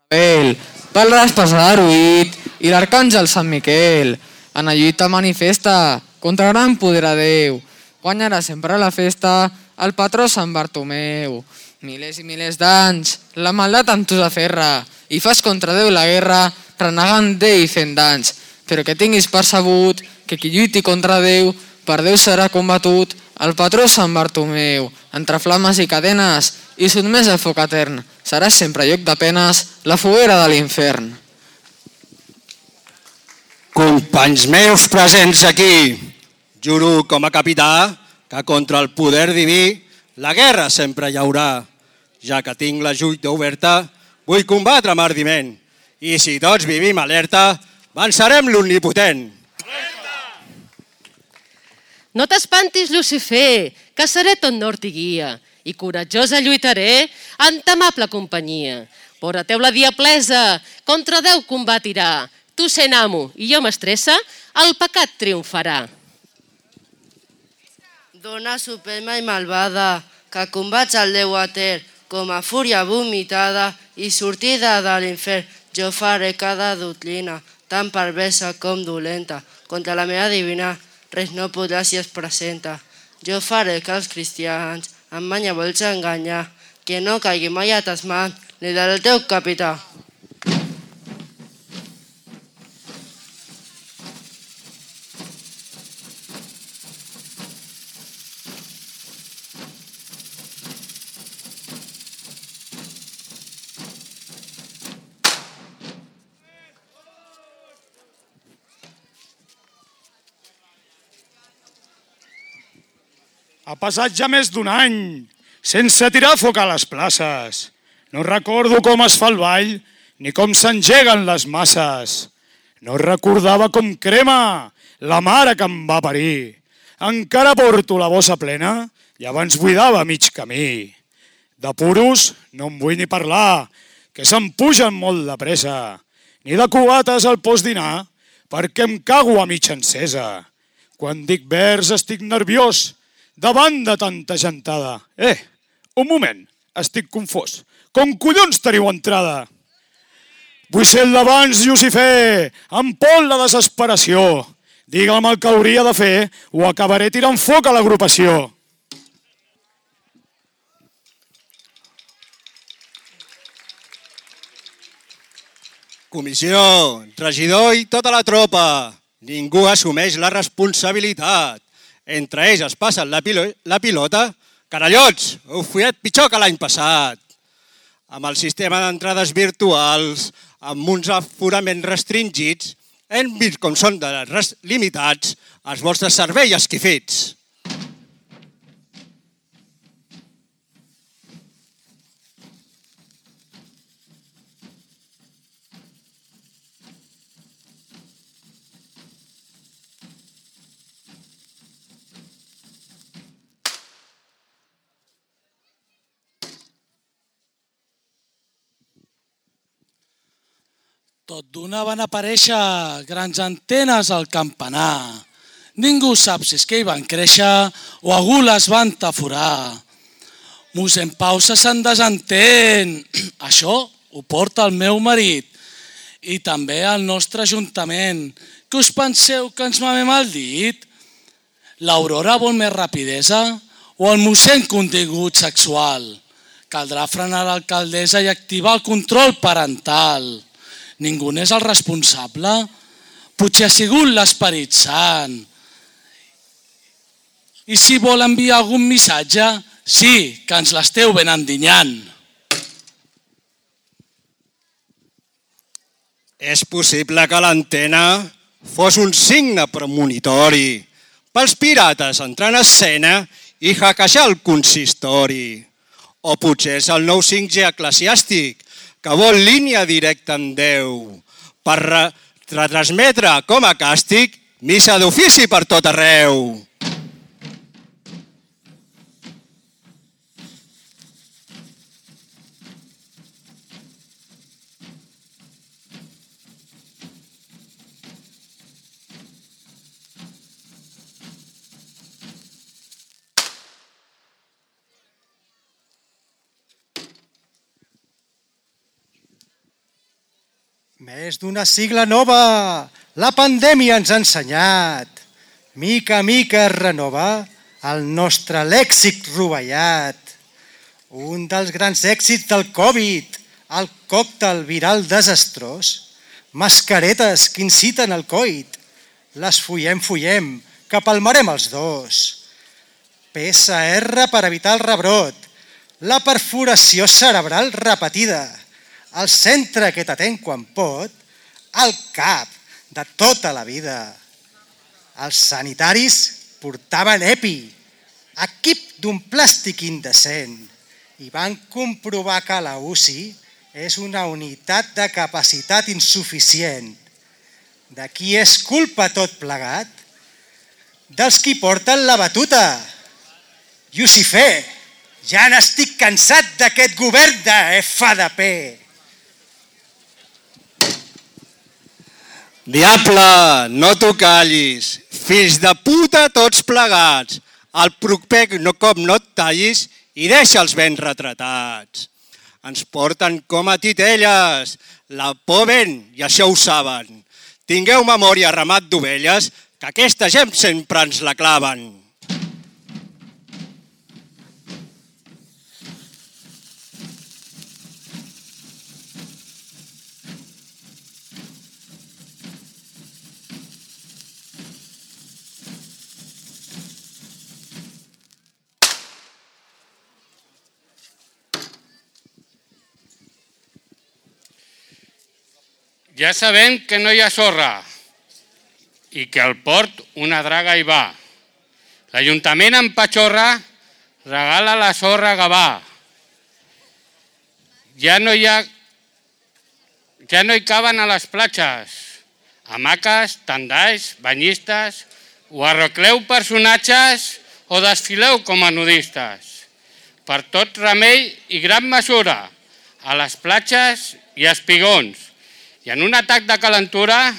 Abel, pel raspes a l'Aruït i l'arcàngel Sant Miquel. En la lluita manifesta contra gran poder a Déu. Guanyarà sempre la festa el patró Sant Bartomeu. Milers i milers d'anys la maldat amb tu s'aferra i fas contra Déu la guerra renegant d'ell i fent danys. Però que tinguis percebut que qui lluiti contra Déu per Déu serà combatut. El patró Sant Bartomeu, entre flames i cadenes i sotmès al foc etern, serà sempre lloc de penes la foguera de l'infern. Companys meus presents aquí, juro com a capità que contra el poder diví la guerra sempre hi haurà. Ja que tinc la lluita oberta, vull combatre amb ardiment. I si tots vivim alerta, vencerem l'omnipotent. No t'espantis, Lucifer, que seré tot nord i guia, i coratjosa lluitaré en ta amable companyia. Vora teu la diablesa, contra Déu combatirà. Tu sent amo i jo mestressa, el pecat triomfarà. Dona suprema i malvada, que combats el Déu eter, com a fúria vomitada i sortida de l'infern. Jo faré cada doctrina, tan perversa com dolenta, contra la meva divina, res no podrà si es presenta. Jo faré que els cristians amb manya vols enganyar, que no caigui mai a tes mans, ni del teu capità. Ha passat ja més d'un any sense tirar foc a les places. No recordo com es fa el ball ni com s'engeguen les masses. No recordava com crema la mare que em va parir. Encara porto la bossa plena i abans buidava mig camí. De puros no en vull ni parlar, que se'm pugen molt de pressa. Ni de cubates al postdinar, perquè em cago a mitja encesa. Quan dic vers estic nerviós, davant de tanta gentada. Un moment, estic confós. Com collons teniu entrada? Vull ser el d'abans, Lucifer, em pot la desesperació. Digue'm el que hauria de fer o acabaré tirant foc a l'agrupació. Comissió, regidor i tota la tropa. Ningú assumeix la responsabilitat. Entre ells es passen la pilota. Carallots, heu follat pitjor que l'any passat. Amb el sistema d'entrades virtuals, amb uns aforaments restringits, hem vist com són limitats els vostres serveis esquifits. Tot d'una van aparèixer grans antenes al campanar. Ningú sap si és que hi van créixer o algú les van taforar. Mossèn Pau se se'n desentén. Això ho porta el meu marit i també el nostre ajuntament. Què us penseu que ens mamem el dit? L'Aurora vol més rapidesa o el mossèn contingut sexual? Caldrà frenar l'alcaldessa i activar el control parental. Ningú n'és el responsable? Potser ha sigut l'Esperit Sant. I si vol enviar algun missatge, sí, que ens l'esteu ben endinyant. És possible que l'antena fos un signe premonitori pels pirates entrar en escena i hackejar el consistori. O potser és el nou 5G eclesiàstic que vol línia directa amb Déu per retransmetre com a càstig missa d'ofici per tot arreu. Més d'una sigla nova, la pandèmia ens ha ensenyat. Mica a mica es renova el nostre lèxic rovellat. Un dels grans èxits del Covid, el còctel viral desastrós, mascaretes que inciten al coit, les follem, que palmarem els dos. PCR per evitar el rebrot, la perforació cerebral repetida, el centre que t'atén quan pot, el cap de tota la vida. Els sanitaris portaven EPI, equip d'un plàstic indecent, i van comprovar que la UCI és una unitat de capacitat insuficient. De qui és culpa tot plegat? Dels qui porten la batuta. Llucifer, ja n'estic cansat d'aquest govern de FDP. Diable, no t'ho callis. Fills de puta tots plegats. El proper cop no et tallis i deixa'ls ben retratats. Ens porten com a titelles. La por ven, i això ho saben. Tingueu memòria, ramat d'ovelles, que aquesta gent sempre ens la claven. Ja sabem que no hi ha sorra i que al port una draga hi va. L'Ajuntament en Patxorra regala la sorra a Gavà. Ja no hi caben a les platges. Hamaques, tendalls, banyistes, o arrocleu personatges o desfileu com a nudistes. Per tot remei i gran mesura, a les platges i espigons. I en un atac de calentura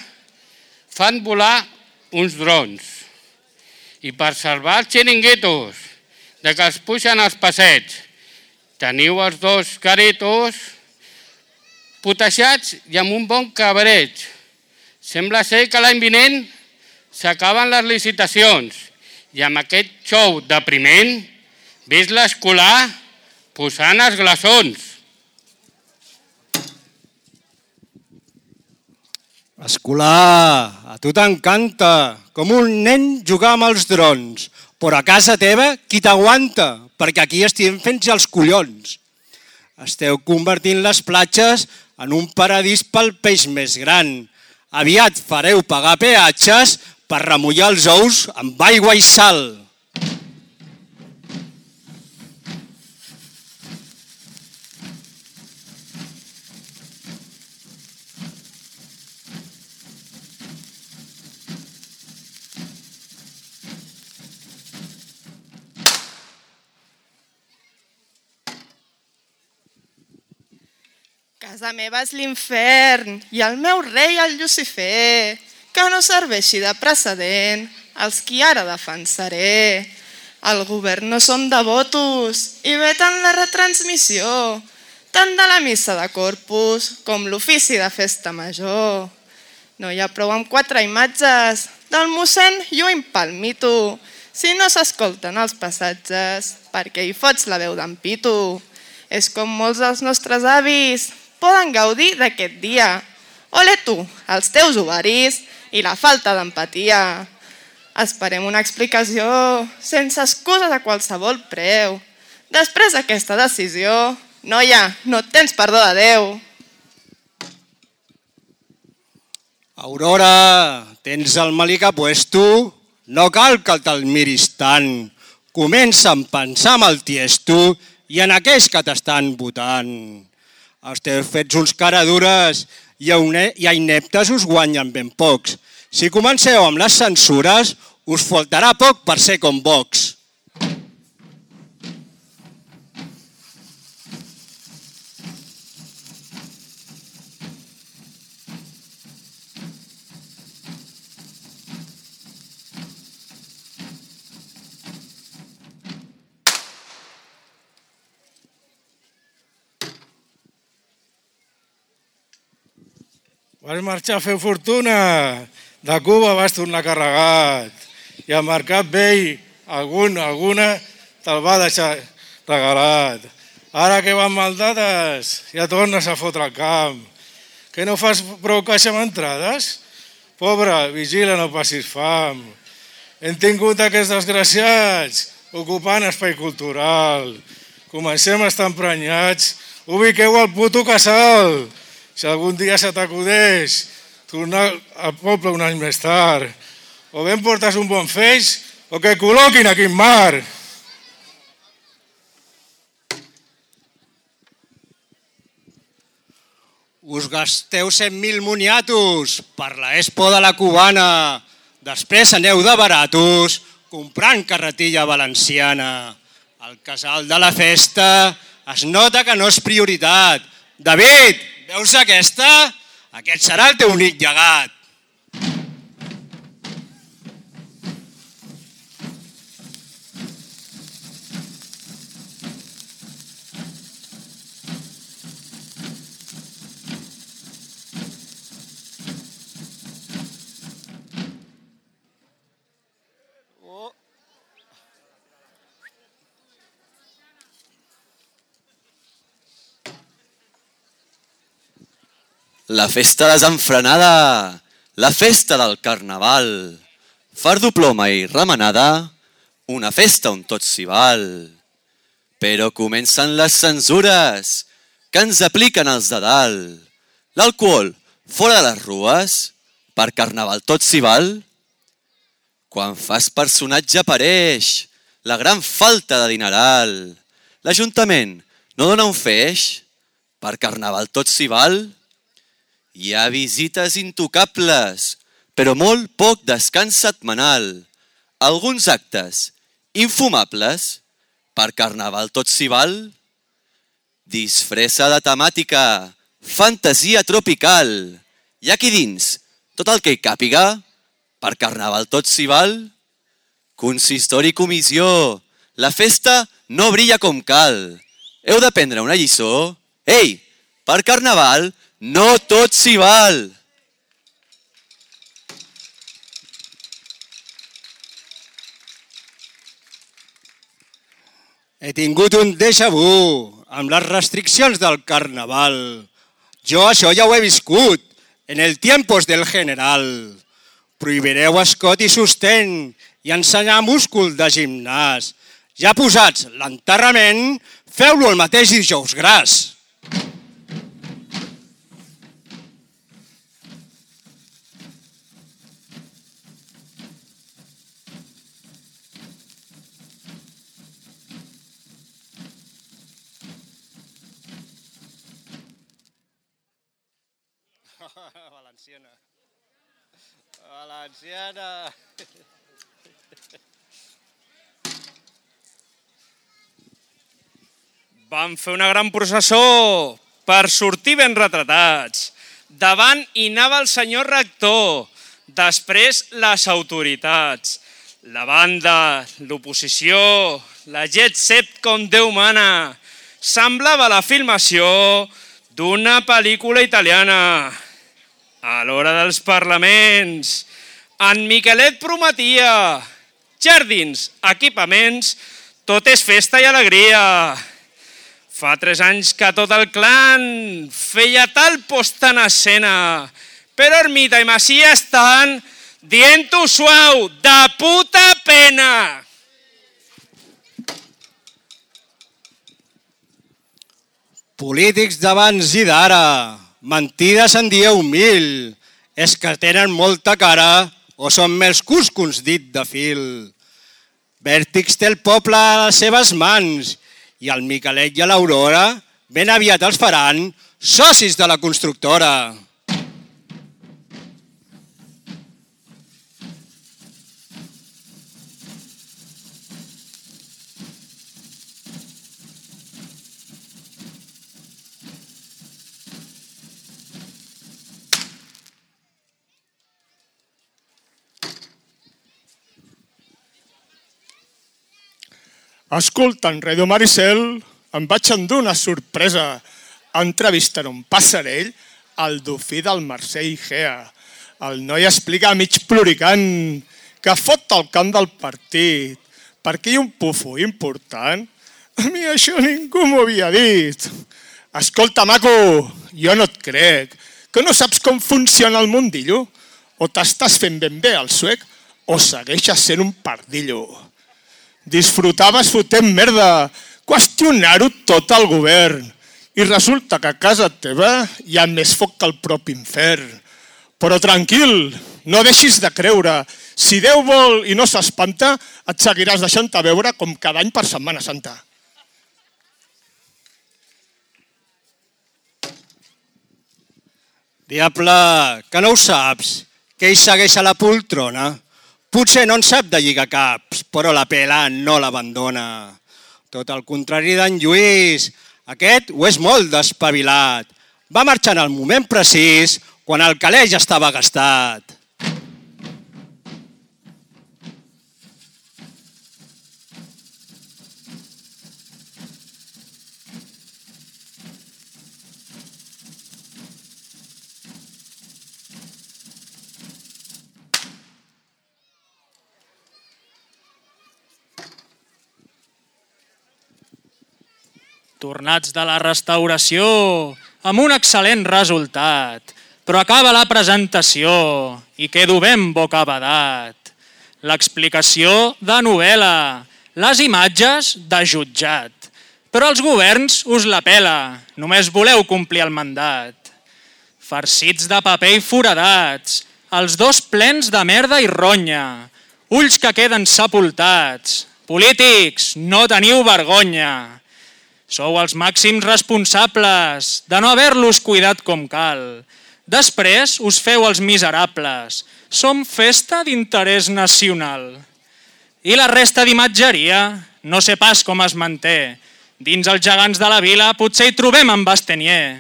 fan volar uns drons. I per salvar els xiringuitos de que els puixen als passeigs, teniu els dos garitos putejats i amb un bon cabreig. Sembla ser que l'any vinent s'acaben les licitacions i amb aquest xou depriment vist l'escolar posant els glaçons. Escolar, a tu t'encanta, com un nen jugar amb els drons, però a casa teva qui t'aguanta? Perquè aquí estem fent els collons. Esteu convertint les platges en un paradís pel peix més gran. Aviat fareu pagar peatges per remullar els ous amb aigua i sal. Casa meva és l'infern i el meu rei el Llucifer, que no serveixi de precedent els qui ara defensaré. El govern no són devotos i veten la retransmissió, tant de la missa de Corpus com l'ofici de festa major. No hi ha prou amb 4 imatges del mossèn lluny pel mito, si no s'escolten els passatges perquè hi fots la veu d'en Pitu. És com molts dels nostres avis poden gaudir d'aquest dia. Ole tu, els teus ovaris i la falta d'empatia. Esperem una explicació sense excuses a qualsevol preu. Després d'aquesta decisió, noia, no et tens perdó de Déu. Aurora, tens el melic a puesto? No cal que te'l miris tant. Comença a pensar amb el tiesto i en aquells que t'estan votant. Esteu fets uns caradures i a ineptes us guanyen ben pocs. Si comenceu amb les censures, us faltarà poc per ser com Vox. Vas marxar a fer fortuna. De Cuba vas tornar carregat. I al Mercat Vell alguna te'l va deixar regalat. Ara que van mal dates, ja tornes a fotre el camp. Que no fas prou caixa amb entrades? Pobre, vigila, no passis fam. Hem tingut aquests desgraciats ocupant espai cultural. Comencem a estar emprenyats. Ubiqueu el puto casal. Si algun dia se t'acudeix tornar al poble un any més tard. O bé em portes un bon feix o que col·loquin aquí en mar. Us gasteu 100.000 moniatos per l'Expo de la Cubana. Després aneu de baratos comprant carretilla valenciana. El casal de la festa es nota que no és prioritat. David, veus aquesta? Aquest serà el teu únic llegat. La festa desenfrenada, la festa del carnaval, fardo ploma i remenada, una festa on tot s'hi val. Però comencen les censures que ens apliquen els de dalt. L'alcohol fora de les rues, per carnaval tot s'hi val. Quan fas personatge apareix la gran falta de dineral. L'Ajuntament no dona un feix, per carnaval tot s'hi val. Hi ha visites intocables, però molt poc descans setmanal. Alguns actes infumables, per carnaval tot s'hi val. Disfressa de temàtica, fantasia tropical. Hi ha aquí dins tot el que hi càpiga, per carnaval tot s'hi val. Consistori i comissió, la festa no brilla com cal. Heu d'aprendre una lliçó. Ei, per carnaval no tot s'hi val. He tingut un déjà vu amb les restriccions del carnaval. Jo això ja ho he viscut en el tiempos del general. Prohibireu escot i sostén i ensenyar múscul de gimnàs. Ja posats l'enterrament, feu-lo el mateix dijous gras. Valenciana. Valenciana. Vam fer una gran processó per sortir ben retratats. Davant hi anava el senyor rector, després les autoritats, la banda, l'oposició, la jet set com Déu mana. Semblava la filmació d'una pel·lícula italiana. A l'hora dels parlaments, en Miquelet prometia jardins, equipaments, tot és festa i alegria. Fa 3 anys que tot el clan feia tal posta en escena, però Ermita i Macia estan dient-ho suau, de puta pena. Polítics d'abans i d'ara, mentides en dieu 1000. És que tenen molta cara o són més cuscons dit de fil. Vèrtix té el poble a les seves mans i el Miquelet i l'Aurora ben aviat els faran socis de la constructora. Escoltant Radio Maricel, em vaig endur una sorpresa. Entrevistant un passarell el dofí del Mercè Igea. El noi explica mig ploricant que fot el camp del partit perquè hi ha un pufo important. A mi això ningú m'ho havia dit. Escolta, maco, jo no et crec. Que no saps com funciona el mundillo? O t'estàs fent ben bé el suec o segueixes sent un pardillo. Disfrutaves fotent merda, qüestionar-ho tot al govern. I resulta que a casa teva hi ha més foc que el propi infern. Però tranquil, no deixis de creure. Si Déu vol i no s'espanta, et seguiràs deixant-te veure com cada any per Setmana Santa. Diable, que no ho saps, que ell segueix a la poltrona. Potser no en sap de lligar caps, però la pela no l'abandona. Tot el contrari d'en Lluís, aquest ho és molt despavilat. Va marxar en el moment precís, quan el calé ja estava gastat. Tornats de la restauració, amb un excel·lent resultat, però acaba la presentació i quedo ben bocabadat. L'explicació de novel·la, les imatges de jutjat, però els governs us la pela, només voleu complir el mandat. Farcits de paper i foradats, els dos plens de merda i ronya, ulls que queden sepultats. Polítics, no teniu vergonya. Sou els màxims responsables de no haver-los cuidat com cal. Després us feu els miserables. Som festa d'interès nacional. I la resta d'imatgeria, no sé pas com es manté. Dins els gegants de la vila potser hi trobem en Bastenier.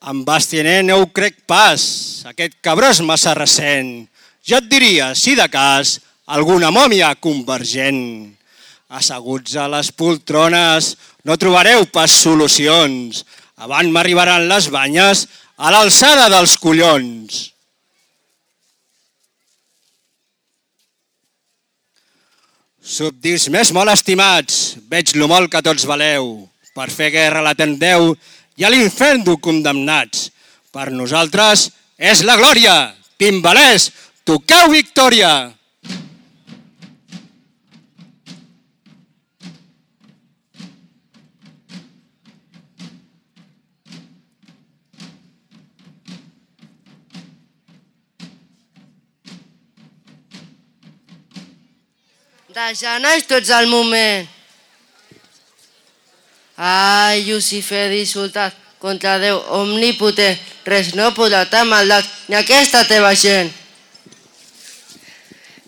En Bastenier no ho crec pas. Aquest cabró és massa recent. Jo et diria, si de cas, alguna mòmia convergent. Asseguts a les poltrones no trobareu pas solucions. Abans m'arribaran les banyes a l'alçada dels collons. Subdits més molt estimats, veig lo molt que tots valeu. Per fer guerra l'atendeu i a l'infern d'ho condemnats. Per nosaltres és la glòria. Timbalers, toqueu victòria! De genolls tots al moment. Ai, Llucifer dissultat contra Déu omnipotent, res no podrà t'ha maldat ni aquesta teva gent.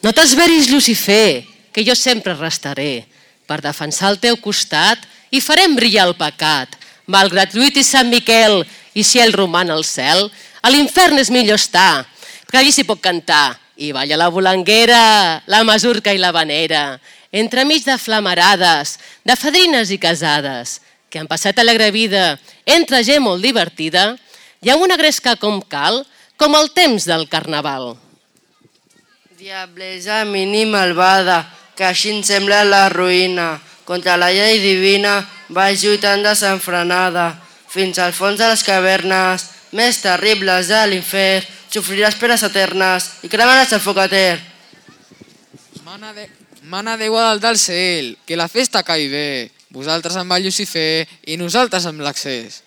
No t'esveris, Llucifer, que jo sempre restaré per defensar el teu costat i farem brillar el pecat. Malgrat lluit i Sant Miquel i si ell roman al cel, a l'infern és millor estar, perquè allí s'hi pot cantar. I balla la volanguera, la masurca i la vanera, entremig de flamarades, de fadrines i casades, que han passat alegre vida entre gent molt divertida i amb una gresca com cal, com el temps del carnaval. Diablesa mini malvada, que així em sembla la ruïna, contra la llei divina vas lluitant desenfrenada, fins al fons de les cavernes, més terribles de l'infern, sofriràs penes eternes i cremaràs el foc etern. Mana Déu a dalt del cel, que la festa caigui bé. Vosaltres amb el Llucifer i nosaltres amb l'accés.